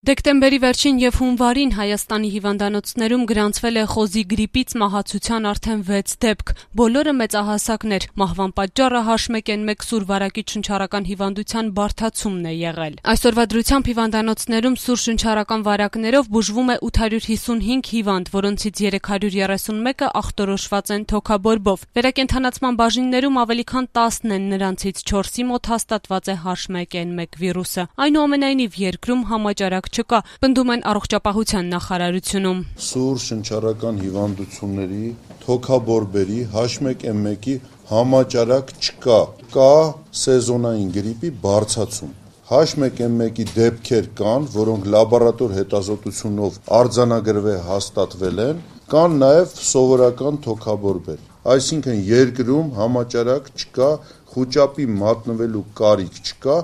Դեկտեմբերի վերջին և հունվարին Հայաստանի հիվանդանոցներում գրանցվել է խոզի գրիպից մահացության արդեն 6 դեպք, բոլորը մեծահասակներ, մահվան պատճառը H1N1 սուր վարակիչ շնչառական հիվանդության բարդացումն է եղել։ Այսօրվա դրությամբ հիվանդանոցներում սուր շնչառական վարակներով բուժվում է 855 հիվանդ, որոնցից 331-ը ախտորոշված են թոքաբորբով։ Վերակենդանացման բաժիններում ավելի քան 10-ն են, նրանցից 4-ի մոտ հաստատված է H1N1 վիրուսը։ Այնուամենայնիվ երկրում համաճարակ չկա, պնդում են առողջապահության նախարարությունում։ Սուր շնչառական հիվանդությունների, թոքաբորբերի, H1N1-ի համաճարակ չկա, կա սեզոնային գրիպի բարձրացում։ H1N1-ի դեպքեր կան, որոնք լաբորատոր հետազոտությունով արձանագրվել են, կան նաև սովորական թոքաբորբեր։ Այսինքն երկրում համաճարակ չկա, խուճապի մատնվելու կարիք չկա,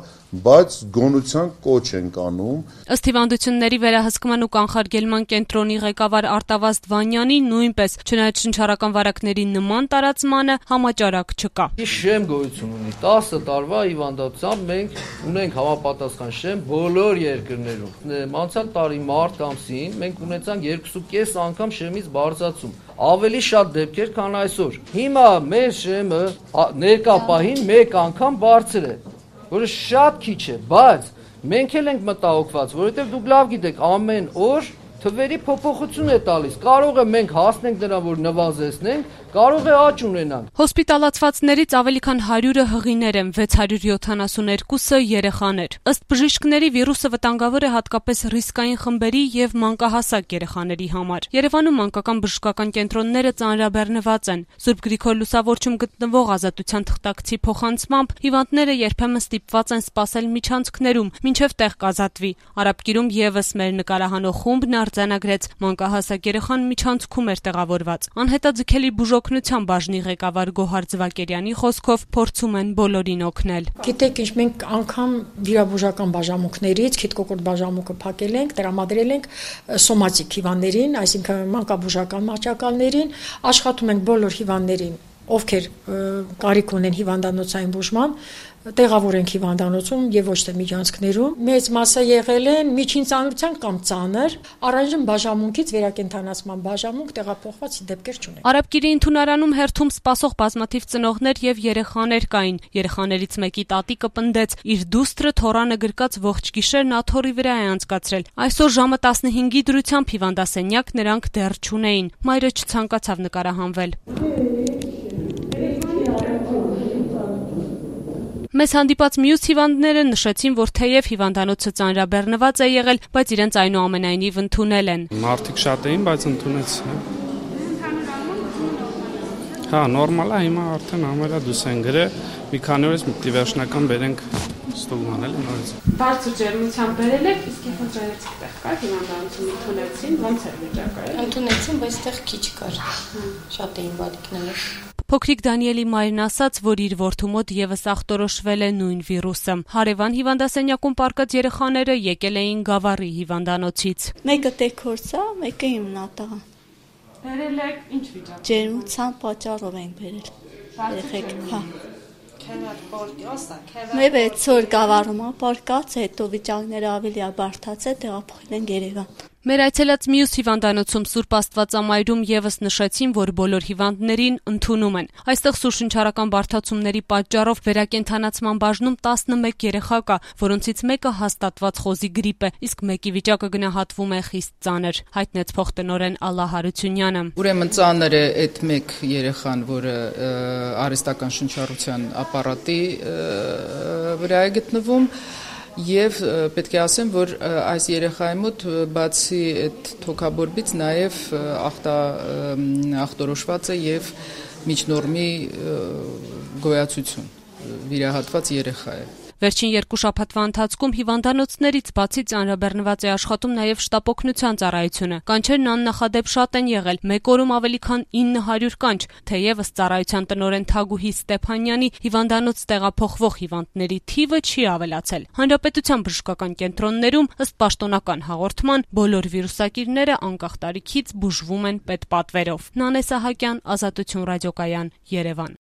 բայց գոնության կոչ ենք անում։ Ըստ հիվանդությունների վերահսկման ու կանխարգելման կենտրոնի ղեկավար Արտավազդ Վանյանի, նույնպես չնայած շնչառական վարակների նման տարածմանը համաճարակ չկա։ Շեմ գոյություն ունի 10 տարվա հիվանդությամբ մենք ունենք համապատասխան շեմ բոլոր երկրներում։ Անցյալ տարի մարտ ամսին մենք ունեցանք 2.5 անգամ շեմից բարձրացում։ Ավելի շատ դեպքեր, քան այսօր։ Հիմա մեր շեմը ներկա պահին 1 անգամ բարձր է, որը շատ քիչ է, բայց մենք էլ ենք մտահոգված, որովհետև դուք լավ գիտեք, ամեն օր թվերի փոփոխություն է տալիս։ Կարող է մենք հասնենք նրան, որ նվազեցնենք, կարող է աճ ունենանք։ Հոսպիտալացվածներից ավելի քան 100-ը հղիներ են, 672-ը երեխաներ։ Ըստ բժիշկների վիրուսը վտանգավոր է հատկապես ռիսկային խմբերի եւ մանկահասակ երեխաների համար։ Երևանում մանկական բժշկական կենտրոնները ծանրաբեռնված են։ Սուրբ Գրիգոր Լուսավորչում գտնվող Ազատության թղթակցի փոխանցմամբ հիվանդները երբեմն ստիպված են սպասել միջանցքներում, մինչև տեղ կազատվի։ Արաբկիրում եւս մեր նկարահանող խումբն արձանագրեց, մանկահասակ երեխան միջանցքում էր տեղավորված։ Անհետաձգելի բուժօգնության բաժնի ղեկավար Գոհար Ձվակերյանի խոսքով փորձում են բոլորին օգնել։ Գիտեք ինչ, մենք անգամ վիրաբուժական բաժանմունքներից քիթ-կոկորտ բաժանմունքը փակել ենք, տրամադրել ենք սոմատիկ հիվանդներին, այսինքն մանկաբուժական մահճակալներին, աշխատում ենք բոլոր հիվանդներին, ովքեր կարիք ունեն հիվանդանոցային բուժման, տեղավոր ենք հիվանդանոցում եւ ոչ թե միջանցքներում։ Մեծ մասը եղել են միջին ծանրության կամ ծանր, առայժմ բաժանմունքից վերակենդանացման բաժանմունք տեղափոխված դեպքեր չունենք։ Արաբկիրի ընդունարանում հերթում սպասող բազմաթիվ ծնողներ եւ երեխաներ կային։ Երեխաներից մեկի տատիկը պնդեց, իր դուստրը թորանը գրկած ողջ գիշերն աթոռի վրա է անցկացրել։ Այսօր ժամը 15-ի դրությամբ հիվանդասենյակ նրանք դեռ չունեին։ Մայրը չցանկացավ նկարահանվել։ Մեզ հանդիպած մյուս հիվանդները նշեցին, որ թեև հիվանդանոցը ծանրաբեռնված է եղել, բայց իրենց այնուամենայնիվ ընդունել են։ Մարդիկ շատ էին, բայց ընդունեցին։ Հա, նորմալ է, հիմա արդեն ամերա դուս են գրել, մի քանի օրից մի վերջնական բերենք ստուգման էլի նորից։ Բարձր ջերմությամբ բերել եք, իսկ հիվանդանոցի տեղ կար, հիվանդանոցում ընդունեցին, ոնց էր վիճակը։ Ընդունեցին, բայց տեղ քիչ կար։ Շատ էին բալիկները։ Փոքրիկ Դանիելի մայրն ասաց, որ իր որդու մոտ եւս ախտորոշվել է նույն վիրուսը։ Հարևան հիվանդասենյակում պառկած երեխաները եկել էին Գավառի հիվանդանոցից։ Մեկը տեքորցա, մեկը իմնատաղ։ Բերել եք ինչ վիճակ։ Ջերմության պատճառով ենք բերել։ Երեխեք, հա։ Մեր 6 օր Գավառում ապարկած, հետո վիճակները ավելի բարդացել, տեղափոխել են Երևան։ Մեր այցելած մյուս հիվանդանոցում Սուրբ Աստվածամայրում եւս նշեցին, որ բոլոր հիվանդներին ընդունում են։ Այստեղ սուր շնչառական բարդացումների պատճառով վերակենդանացման բաժնում 11 երեխա կա, որոնցից մեկը հաստատված խոզի գրիպ է, իսկ մեկի վիճակը գնահատվում է խիստ ծանր, հայտնեց փոխտնօրեն Ալլա Հարությունյանը։ Ուրեմն ծանր է այդ մեկ երեխան, որը արհեստական շնչառության ապարատի վրա է գտնվում։ Եվ պետք է ասեմ, որ այս երեխայի մոտ բացի այդ թոքաբորբից նաև ախտորոշված է եւ միջնորմի գոյացություն, վիրահատված երեխա է։ Վերջին 2 շաբաթվա ընթացքում հիվանդանոցներից բացի ծանրաբեռնված է աշխատում նաև շտապօգնության ծառայությունը։ Կանչերն աննախադեպ շատ են եղել, մեկ օրում ավելի քան 900 կանչ, թեև ըստ ծառայության տնօրեն Թագուհի Ստեփանյանի հիվանդանոց տեղափոխվող հիվանդների թիվը չի ավելացել։ Հանրապետության բժշկական կենտրոններում ըստ պաշտոնական հաղորդման բոլոր վիրուսակիրները անկախ տարիքից բուժվում են պետպատվերով։ Նանե Սահակյան, Ազատություն ռադիոկայան, Երևան։